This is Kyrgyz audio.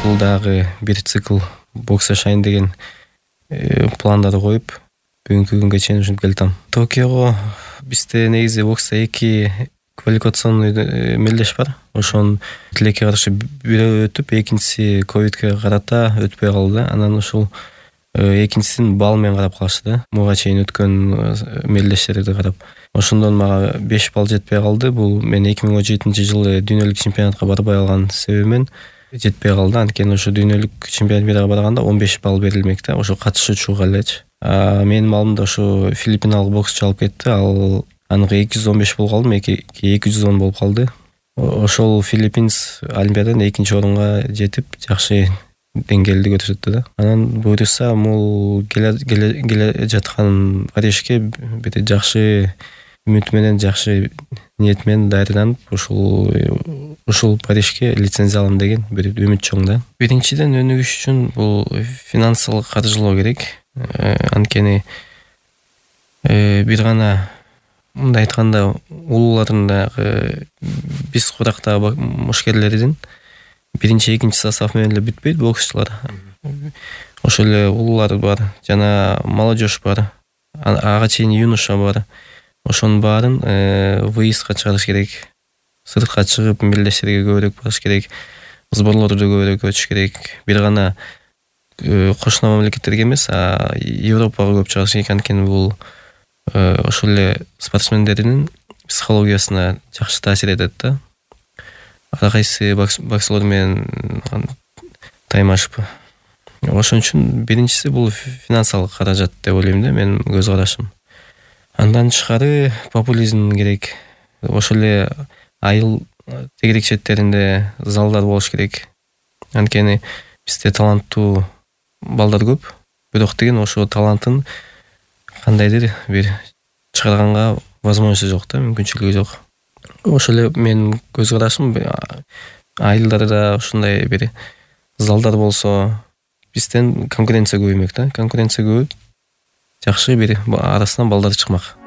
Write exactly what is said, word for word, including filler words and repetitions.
ушул дагы бир цикл бокс жашайын деген пландарды коюп бүгүнкү күнгө чейин ушинтип келатам. Токиого бизде негизи бокста эки квалификационный мелдеш бар. Ошонун тилекке каршы бирөө өтүп, экинчиси ковидке карата өтпөй калды. Анан ушул экинчисин балл менен карап калышты да. Буга чейин өткөн мелдештерди карап. Ошондон мага беш балл жетпей калды. Бул мен эки миң он жетинчи жылы дүйнөлүк чемпионатка барбай алган себебиммен жетпей калды. Анткени ошо дүйнөлүк чемпионатка барганда он беш балл берилмек да, ошо катышуучуга элечи. А менин баллымда ошо филиппиналык боксчу алып кетти. Ал аныгы эки жүз он беш болуп калды, эки жүз он болуп калды. Ошол Филиппинс олимпиададан экинчи орунга жетип, жакшы деңгээлди көрсөттү да. Анан буюрса, бул келе жаткан Парижге бир жакшы үмүт менен, жакшы ниет менен даярданып, ушул ушул Парижге лицензия алам деген бир үмүт чоң да. Биринчиден өнүгүш үчүн бул финансылык каржылоо керек. Анткени бир гана мындай айтканда улуулардын дагы биз курактагы мушкерлердин биринчи, экинчи состав менен эле бүтпөйт боксчулар. Ошол эле улуулар бар, жана молодежь бар, ага чейин юноша бар. Ошонун баарын выездга чыгарыш керек. Сыртка чыгып мелдештерге көбүрөөк барыш керек. Сборлорду көбүрөөк өтүш керек. Бир гана кошуна мамлекеттерге эмес, а Европага көп чыгыш керек. Анткени бул ошол эле спортсмендердин психологиясына жакшы таасир этет да. Ар кайсы боксерлор менен таймашып. Ошон үчүн биринчиси бул финансылык каражат деп ойлойм да, менин көз карашым. Андан тышкары популизм керек. Ошол эле айыл тегерек четтеринде залдар болуш керек. Анткени бизде таланттуу балдар көп, бирок деген ошо талантын кандайдыр бир чыгарганга возможности жок да, мүмкүнчүлүгү жок. Ошол эле менин көз карашым, айылдарда ушундай бир залдар болсо, бизден конкуренция көбөймөк да. Конкуренция көбөйүп, жакшы бир арасынан балдар чыкмак.